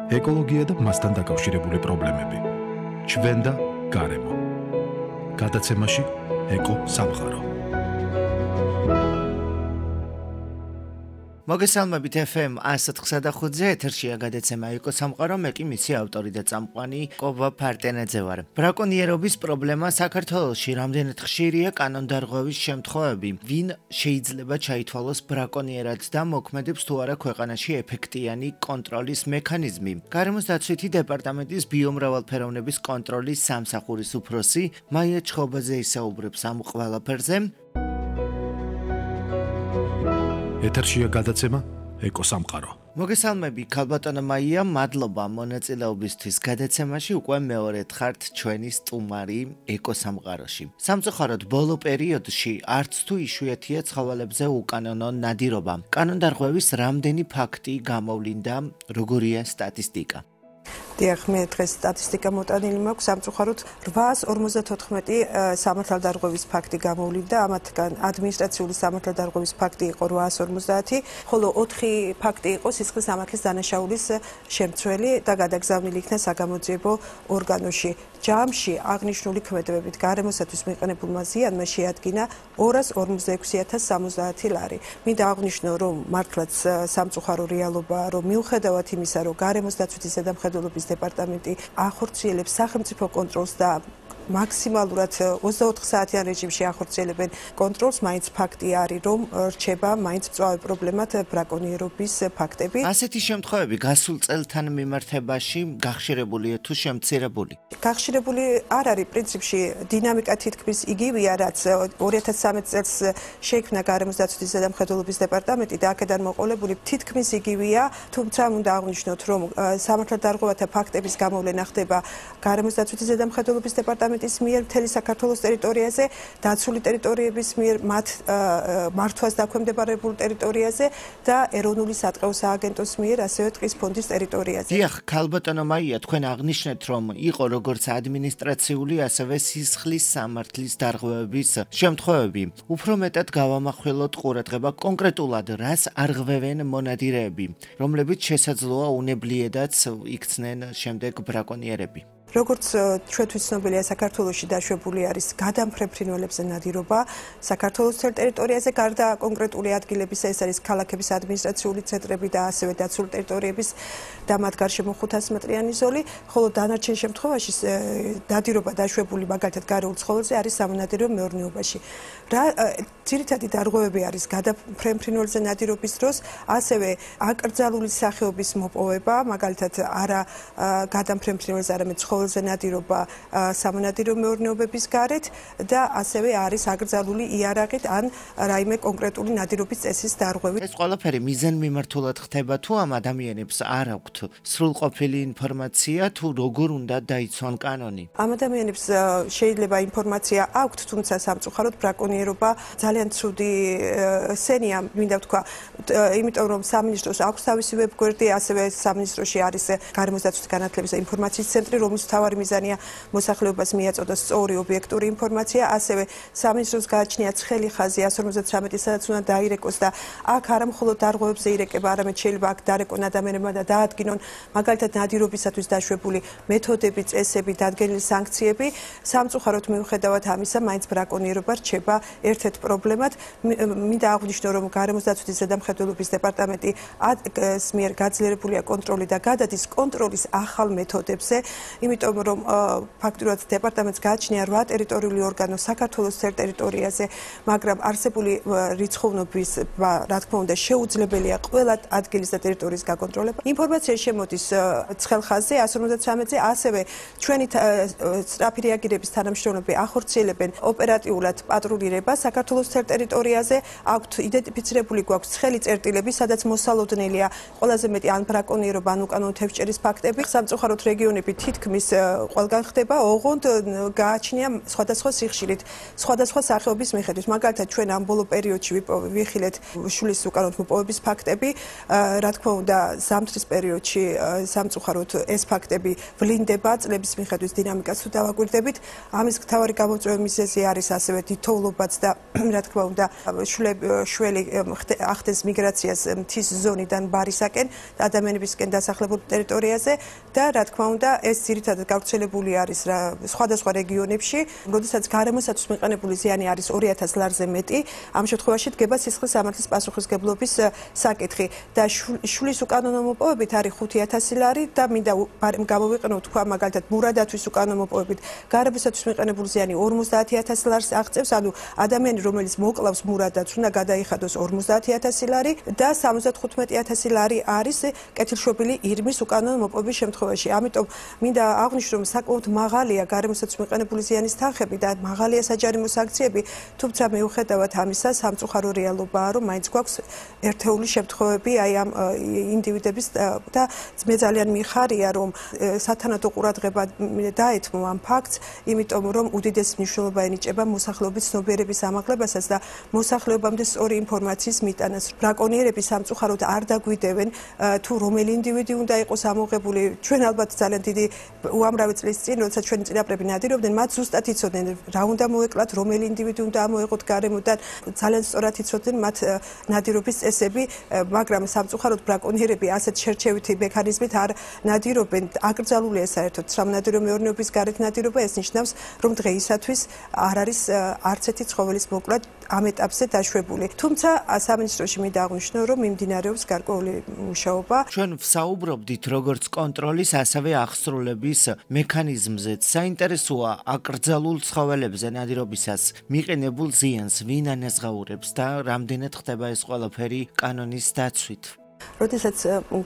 ეკოლოგია და მასთან დაკავშირებული პრობლემები. ჩვენ და გარემო. გადაცემაში ეკო სამყარო. მოგესალმებით FM 104.5 ეთერშია გადაცემა ეკო სამყარო, მე კი მისი ავტორი და წამყვანი კობა ფარტენაძე ვარ. ბრაკონიერობის პრობლემა საქართველოში რამდენად ხშირია კანონდარღვევის შემთხვევები, ვინ შეიძლება ჩაითვალოს ბრაკონიერად და მოქმედებს თუ არა ქვეყანაში ეფექტიანი კონტროლის მექანიზმი. გარემოს დაცვითი დეპარტამენტის ბიომრავალფეროვნების კონტროლის სამსახურის უფროსი მაია ჩხობაძე ისაუბრებს ამ ყველაფერზე. ეთერშია გადაცემა ეკო სამყარო. მოგესალმები, ქალბატონო მაია, მადლობა მონაწილეობისთვის გადაცემაში. უკვე მეორედ ხართ ჩვენი სტუმარი ეკო სამყაროში. სამწუხაროდ ბოლო პერიოდში არც თუ იშვიათია ცხოველებზე უკანონო ნადირობა. კანონდარღვევის რამდენი ფაქტი გამოვლინდა, როგორია სტატისტიკა? დიახ, მე დღეს სტატისტიკა მოტანილი მაქვს, სამწუხაროდ 854 სამართალდარღვევის ფაქტი გამოვლინდა, ამათგან ადმინისტრაციული სამართალდარღვევის ფაქტი იყო 850, ხოლო 4 ფაქტი იყო სისხლის სამართლის დანაშაულის შემცველი და გადაგზავნილი იქნა საგამოძიებო ორგანოში. ჯამში აღნიშნული ქმედებებით გარემოსათვის მიყენებულმა ზიანმა შეადგინა 246,070 ლარი. მინდა აღვნიშნო, რომ მართლაც სამწუხარო რეალობაა, რომ მიუხედავად იმისა, რომ გარემოს დაცვითი ზედამხედველობის დეპარტამენტი ახორციელებს სახელმწიფო კონტროლს და მაქსიმალურად 24 საათიან რეჟიმში ახორციელებენ კონტროლს, მაინც ფაქტი არის, რომ რჩება მაინც მწვავე პრობლემად ბრაკონიერობის ფაქტები. ასეთი შემთხვევები გასულ წელთან მიმართებაში გახშირებულია თუ შემცირებული? გახშირებული არ არის, პრინციპში დინამიკა თითქმის იგივეა, რაც 2013 წელს შეიქმნა გარემოს დაცვითი ზედამხედველობის დეპარტამენტი და აქედან მოყოლებული თითქმის იგივეა, თუმცა უნდა აღვნიშნოთ, რომ სამართალდარღვევათა ფაქტების გამოვლენა ხდება გარემოს დაცვითი ზედამხედველობის დეპარტამენტის მიერ მთელი საქართველოს ტერიტორიაზე, დაცული ტერიტორიების მიერ მათ მართვას დაქვემდებარებულ ტერიტორიაზე და ეროვნული სატყეო სააგენტოს მიერ ასევე ტყის ფონდის ტერიტორიაზე. დიახ, ქალბატონო მაია, თქვენ აღნიშნეთ, რომ იყო როგორც ადმინისტრაციული, ასევე სისხლის სამართლის დარღვევების შემთხვევები. უფრო მეტად გავამახვილოთ ყურადღება კონკრეტულად რას არღვევენ მონადირეები, რომლებიც შესაძლოა უნებლიედაც იქცნენ შემდეგ ბრაკონიერები. როგორც ჩვენთვის ცნობილია, საქართველოში დაშვებული არის გადამფრენ ფრინველებზე ნადირობა საქართველოს ტერიტორიაზე, გარდა კონკრეტული ადგილებისა, ეს არის ქალაქების ადმინისტრაციული ცენტრები და ასევე დაცული ტერიტორიების და მათ გარშემო 500 მეტრიანი ზოლი, ხოლო დანარჩენ შემთხვევაში ნადირობა დაშვებული მაგალითად გარეულ ცხოველზე არის სამონადირო მეურნეობაში. ძირითადი დარღვევები არის გადამფრენ ფრინველებზე ნადირობის დროს, ასევე აკრძალული სახეობის მოპოვება, მაგალითად არა გადამფრენ ფრინველზე, არამედ ცხოველზე ნადირობა სამონადირო მეურნეობების გარეთ და ასევე არის აკრძალული იარაღით ან რაიმე კონკრეტული ნადირობის წესის დარღვევით. ეს ყველაფერი მიზანმიმართულად ხდება თუ ამ ადამიანებს არ აქვთ სრულყოფილი ინფორმაცია თუ როგორ უნდა დაიცვან კანონი? ამ ადამიანებს შეიძლება ინფორმაცია აქვთ, თუმცა სამწუხაროდ ბრაკონიერობა ძალიან ცუდი სენია, მინდა ვთქვა, იმიტომ რომ სამინისტროს აქვს თავისი ვებგვერდი, ასევე სამინისტროში არის გარემოს დაცვითი განათლების და ინფორმაციის ცენტრი, რომლის მთავარი მიზანია მოსახლეობას მიაწოდოს სწორი ობიექტური ინფორმაცია, ასევე სამინისტროს გააჩნია ცხელი ხაზი 153, სადაც უნდა დაირეკოს და აქ არა მხოლოდ დარღვევებზე ირეკება, არამედ შეიძლება აქ დარეკონ ადამიანებმა და დაადგინონ მაგალითად ნადირობისათვის დაშვებული მეთოდები, წესები, დადგენილი სანქციები. სამწუხაროდ მიუხედავად ამისა, მაინც ბრაკონიერობა რჩება ერთ-ერთ პრობლემად. მინდა აღვნიშნო, რომ გარემოს დაცვითი ზედამხედველობის დეპარტამენტი მიერ გაძლიერებულია კონტროლი და გადადის კონტროლის ახალ მეთოდებზე, იმიტომ რომ ფაქტურად დეპარტამენტს გააჩნია 8 ტერიტორიული ორგანო საქართველოს ტერიტორიაზე, მაგრამ არსებული რიცხოვნობის, რა თქმა უნდა, შეუძლებელია ყველა ადგილის და ტერიტორიის გაკონტროლება. ინფორმაცია შემოდის ცხელ ხაზზე 153-ზე, ასევე ჩვენი სწრაფი რეაგირების თანამშრომლები ახორციელებენ ოპერატიულად პატრულირება საქართველოს ტერიტორიაზე, აქვთ იდენტიფიცირებული გვაქვს ცხელი წერტილები, სადაც მოსალოდნელია ყველაზე მეტი ან ბრაკონიერობა, ან უკანონო თევზჭერის ფაქტები. სამწუხაროდ რეგიონები თითქმის ყველგან ხდება, ოღონდ გააჩნია სხვადასხვა სიხშირით, სხვადასხვა სახეობის მიხედვით. მაგალითად, ჩვენ ამ ბოლო პერიოდში ვიხილეთ შვილის უკანონოდ მოპოვების ფაქტები, რა თქმა უნდა, ზამთრის პერიოდში სამწუხაროდ ეს ფაქტები ვლინდება, წლების მიხედვით დინამიკას თუ დავაკვირდებით. ამის მთავარი გამოწვეული მიზეზი არის ასევე თითოეულობაც და რა თქმა უნდა, შველი ახდენს მიგრაციას მთის ზონიდან ბარისაკენ, ადამიანებისკენ დასახლებულ ტერიტორიაზე და რა თქმა უნდა, ეს ძირითადად გავრცელებული არის სხვადასხვა რეგიონებში, როდესაც გარემოსათვის მიყენებული ზიანი არის 2000 ლარზე მეტი, ამ შემთხვევაში დგება სისხლის სამართლის პასუხისმგებლობის საკითხი და შვილის უკანონო მოპოვებით არის 5000 ლარი და მინდა გამოვიყენო თქვა მაგალითად მურადათვის უკანონო მოპოვებით გარემოსათვის მიყენებული ზიანი 50000 ლარს აღწევს, ანუ ადამიანი რომელიც მოკლავს მურადats უნდა გადაიხადოს 50000 ლარი და 75000 ლარი არის კეთილშობილი ირმის უკანონო მოპოვების შემთხვევაში. ამიტომ მინდა აღვნიშნო, რომ საკმაოდ მაღალია გარემოსათვის მიყენებული ზიანის თანხები და მაღალია საჯარიმო სანქციები, თუმცა მიუხედავად ამისა, სამწუხარო რეალობაა, რომ მაინც გვაქვს ერთეული შემთხვევები აი ამ ინდივიდების და მე ძალიან მიხარია, რომ სათანადო ყურადღება დაეთმო ამ ფაქტს, იმიტომ რომ უდიდესი მნიშვნელობა ენიჭება მოსახლეობის ცნობიერების ამაღლებასაც და მოსახლეობამდე სწორი ინფორმაციის მიტანას. ბრაკონიერები სამწუხაროდ არ დაგვიდევენ თუ რომელი ინდივიდი უნდა იყოს ამოღებული. ჩვენ ალბათ ძალიან დიდი უამრავი წლის წინ, როდესაც ჩვენი წინაპრები ნადირობდნენ, მათ ზუსტად იცოდნენ რა უნდა მოეკლათ, რომელი ინდივიდი უნდა ამოეყოთ გარემოდან, ძალიან სწორად იცოდნენ მათ ნადირობის წესები, მაგრამ სამწუხაროდ ბრაკონიერები ასეთ შერჩევითი მექანიზმით არ ნადირობენ. აკრძალულია საერთოდ სამონადირო მეურნეობის გარეთ ნადირობა, ეს ნიშნავს, რომ დღეისათვის არ არის არც ერთი ცხოველის მოკლა ამ ეტაპზე დაშვებული. თუმცა სამინისტროში მინდა აღვნიშნო, რომ მიმდინარეობს გარკვეული მუშაობა. ჩვენ ვსაუბრობდით როგორც კონტროლის, ასევე აღსრულების მექანიზმზეც. საინტერესოა აკრძალულ ცხოველებზე ნადირობისას მიყენებულ ზიანს ვინ ანაზღაურებს და რამდენად ხდება ეს ყველაფერი კანონის დაცვით. როდესაც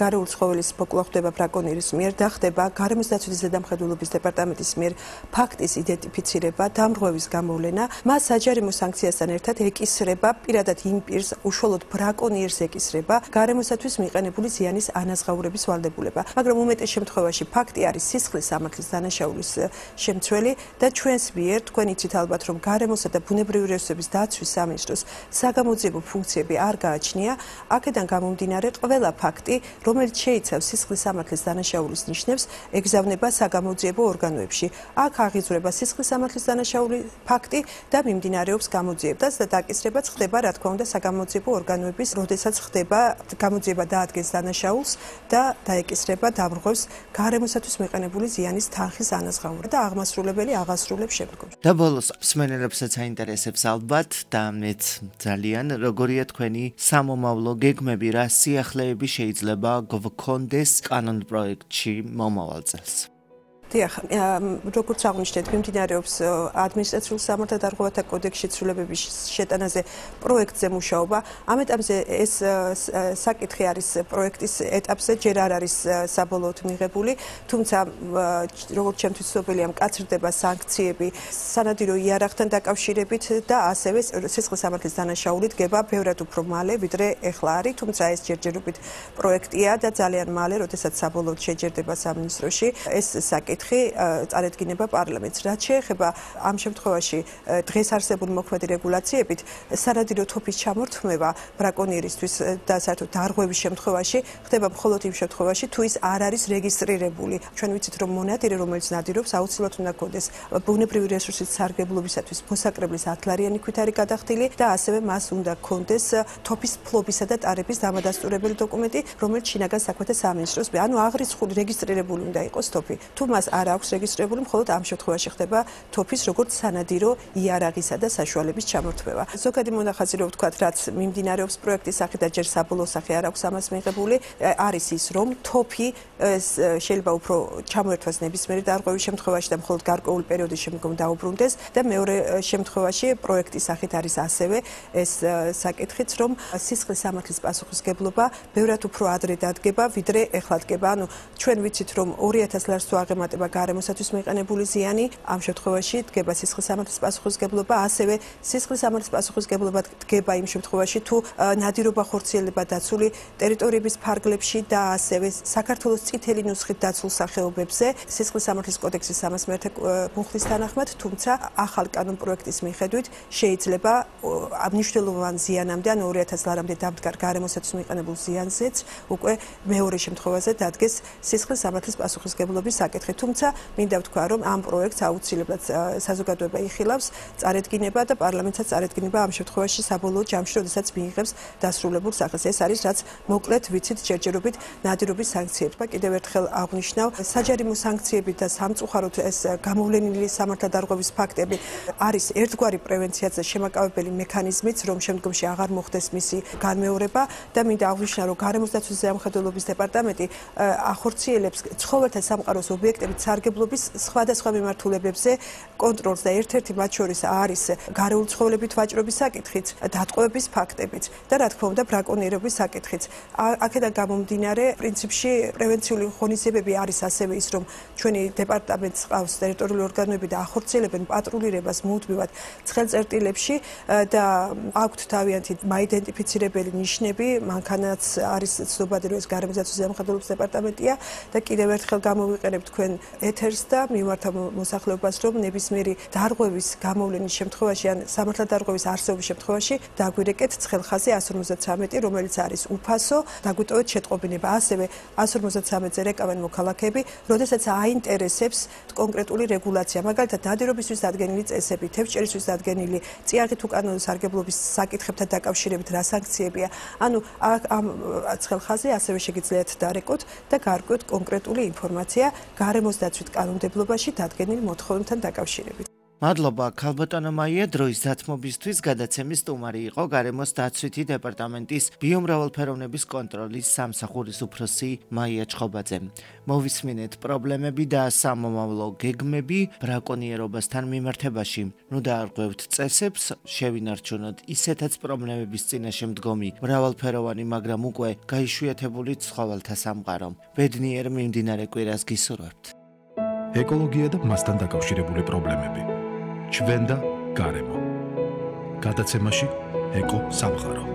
გარეული ცხოველის მოკლა ხდება ბრაკონიერის მიერ და ხდება გარემოს დაცვითი ზედამხედველობის დეპარტამენტის მიერ ფაქტის იდენტიფიცირება, დამრღვევის გამოვლენა, მას საჯარიმო სანქციასთან ერთად ეკისრება პირადად იმ პირს, უშუალოდ ბრაკონიერს ეკისრება გარემოსათვის მიყენებული ზიანის ანაზღაურების ვალდებულება. მაგრამ უმეტეს შემთხვევაში ფაქტი არის სისხლის სამართლის დანაშაულის შემცველი და ჩვენს მიერ, თქვენ იცით ალბათ, რომ გარემოსა და ბუნებრივი რესურსების დაცვის სამინისტროს საგამოძიებო ფუნქციები არ გააჩნია, აქედან გამომდინარე ყველა ფაქტი, რომელიც შეიცავს სისხლის სამართლის დანაშაულის ნიშნებს, ეგზავნება საგამოძიებო ორგანოებში. აქ აღიძვრება სისხლის სამართლის დანაშაული ფაქტი და მიმდინარეობს გამოძიებაც და დაკისრებაც ხდება, რა თქმა უნდა, საგამოძიებო ორგანოების, როდესაც ხდება გამოძიება დაადგენს დანაშაულს და დაეკისრება დამრღვევს გარემოსათვის მიყენებული ზიანის თანხის ანაზღაურება და აღმასრულებელი აღასრულებს შემდგომ. და ბოლოს მსმენელებსაც აინტერესებს ალბათ და მეც ძალიან, როგორია თქვენი სამომავლო გეგმები, რა სიახლეები შეიძლება გვქონდეს კანონ პროექტში მომავალ წელს. დიახ, როგორც აღნიშნეთ, მიმდინარეობს ადმინისტრაციულ სამართალდარღვევათა კოდექსში ცვლილებების შეტანაზე პროექტზე მუშაობა. ამ ეტაპზე ეს საკითხი არის პროექტის ეტაპზე, ჯერ არ არის საბოლოოდ მიღებული, თუმცა როგორც ჩემთვის ცნობილია, მკაცრდება სანქციები სანადირო იარაღთან დაკავშირებით და ასევე სისხლის სამართლის დანაშაული დგება ბევრად უფრო მალე, ვიდრე ეხლა არის, თუმცა ეს ჯერჯერობით პროექტია და ძალიან მალე, როდესაც საბოლოოდ შეჯერდება სამინისტროში, ეს საკითხი წარედგინება პარლამენტს. რაც შეეხება ამ შემთხვევაში დღეს არსებული მოქმედი რეგულაციებით, სანადირო თოფის ჩამორთმევა ბრაკონიერისთვის და საერთოდ დარღვევის შემთხვევაში ხდება მხოლოდ იმ შემთხვევაში, თუ ის არ არის რეგისტრირებული. ჩვენ ვიცით, რომ მონადირე, რომელიც ნადირობს, აუცილებლად უნდა ჰქონდეს ბუნებრივი რესურსის სარგებლობისათვის მოსაკრებლის 10 ლარიანი ქვით არის გადახდილი და ასევე მას უნდა ჰქონდეს თოფის ფლობისა და ტარების დამადასტურებელი დოკუმენტი, რომელიც შინაგან საქმეთა სამინისტროს, ანუ აღრიცხული რეგისტრირებული უნდა იყოს თოფი. თუ მას არ აქვს რეგისტრირებული, მხოლოდ ამ შემთხვევაში ხდება თოფის როგორც სანადირო იარაღისა და საშუალების ჩამორთმევა. ზოგადი მონახაზი რო ვთქვათ, რაც მიმდინარეობს პროექტის სახით და ჯერ საბოლოო სახე არ აქვს ამას მიღებული, არის ის, რომ თოფი შეიძლება უფრო ჩამოერთვას ნებისმიერი დარღვევის შემთხვევაში და მხოლოდ გარკვეული პერიოდის შემდგომ დაუბრუნდეს და მეორე შემთხვევაში პროექტის სახით არის ასევე ეს საკითხიც, რომ სისხლის სამართლის პასუხისმგებლობა ბევრად უფრო ადრე დადგება, ვიდრე ეხლა დგება. ანუ ჩვენ ვიცით, რომ 2000 ლარს თუ აღემატებთ ხდება გარემოსათვის მიყენებული ზიანი, ამ შემთხვევაში დგება სისხლის სამართლის პასუხისმგებლობა, ასევე სისხლის სამართლის პასუხისმგებლობა დგება იმ შემთხვევაში, თუ ნადირობა ხორციელდება დაცული ტერიტორიების ფარგლებში და ასევე საქართველოს წითელი ნუსხით დაცულ სახეობებზე, სისხლის სამართლის კოდექსის 301 მუხლის თანახმად, თუმცა ახალ კანონპროექტის მიხედვით შეიძლება მნიშვნელოვან ზიანამდე, ან 2000 ლარამდე დამდგარ გარემოსათვის მიყენებულ ზიანზეც უკვე მეორე შემთხვევაზე დადგეს სისხლის სამართლის პასუხისმგებლობის საკითხი. თუმცა მინდა ვთქვა, რომ ამ პროექტს აუცილებლად საზოგადოება იხილავს, წარედგინება და პარლამენტსაც წარედგინება ამ შემთხვევაში საბოლოო ჯამში, როდესაც მიიღებს დასრულებულ სახეს. ეს არის რაც მოკლედ ვიცით ჯერჯერობით ნადირობის სანქციებმა. კიდევ ერთხელ აღვნიშნავ, საჯარიმო სანქციები და სამწუხაროდ ეს გამოვლენილი სამართალდარღვევის ფაქტები არის ერთგვარი პრევენციაზე შემაკავებელი მექანიზმიც, რომ შემდგომში აღარ მოხდეს მისი განმეორება და მინდა აღვნიშნო, რომ გარემოს დაცვის ზედამხედველობის დეპარტამენტი ახორციელებს ცხოველთა სამყაროს ობიექტებით სარგებლობის სხვადასხვა მიმართულებებზე კონტროლს და ერთ-ერთი მათ შორის არის გარეული ცხოველებით ვაჭრობის საკითხიც, დატყვევების ფაქტებიც და რა თქმა უნდა ბრაკონიერების საკითხიც. აქედან გამომდინარე, პრინციპში პრევენციული ღონისძიებები არის ასევე ის, რომ ჩვენი დეპარტამენტს ყავს ტერიტორიული ორგანოები და ახორციელებენ პატრულირებას მუდმივად ცხელწერტილებში და აქვთ თავიანთი მაიდენტიფიცირებელი ნიშნები, მანქანაც არის ცნობადი, რომ ეს გარემოს დაცვის ზედამხედველობის დეპარტამენტია და კიდევ ერთხელ გამოვიყენებ თქვენ ეთერს და მიმართავ მოსახლეობას, რომ ნებისმიერი დარღვევის გამოვლენის შემთხვევაში ან სამართალდარღვევის არსებობის შემთხვევაში დაგვირეკეთ ცხელხაზი 153, რომელიც არის უფასო, დაგვიტოვეთ შეტყობინება. ასევე 153-ზე რეკავენ მოქალაქეები, როდესაც აინტერესებს კონკრეტული რეგულაცია, მაგალითად ნადირობისთვის დადგენილი წესები, თევზჭერისთვის დადგენილი წიაღით უკანონო სარგებლობის საკითხებთან დაკავშირებით რა სანქციებია. ანუ ამ ცხელხაზზე ასევე შეგიძლიათ დარეკოთ და გარკვევთ კონკრეტული ინფორმაცია გარემოს დაცვით კანონმდებლობაში დადგენილ მოთხოვნებთან დაკავშირებით. მადლობა, ქალბატონო მაია, დროის დათმობისთვის გადაცემის სტუმარი იყო გარემოს დაცვითი დეპარტამენტის ბიომრავალფეროვნების კონტროლის სამსახურის უფროსი მაია ჩხობაძე. მოვისმინეთ პრობლემები და სამომავლო გეგმები ბრაკონიერობასთან მიმართებაში. ნუ დაარღვევთ წესებს, შევინარჩუნოთ ისეთაც პრობლემების წინაშე მდგომი მრავალფეროვანი, მაგრამ უკვე გაიშვიათებული ცხოველთა სამყარო. ბედნიერ მიმდინარე კვირას გისურვებთ. ეკოლოგია და მასთან დაკავშირებული პრობლემები. ჩვენ და გარემო. გადაცემაში ეკო სამყარო.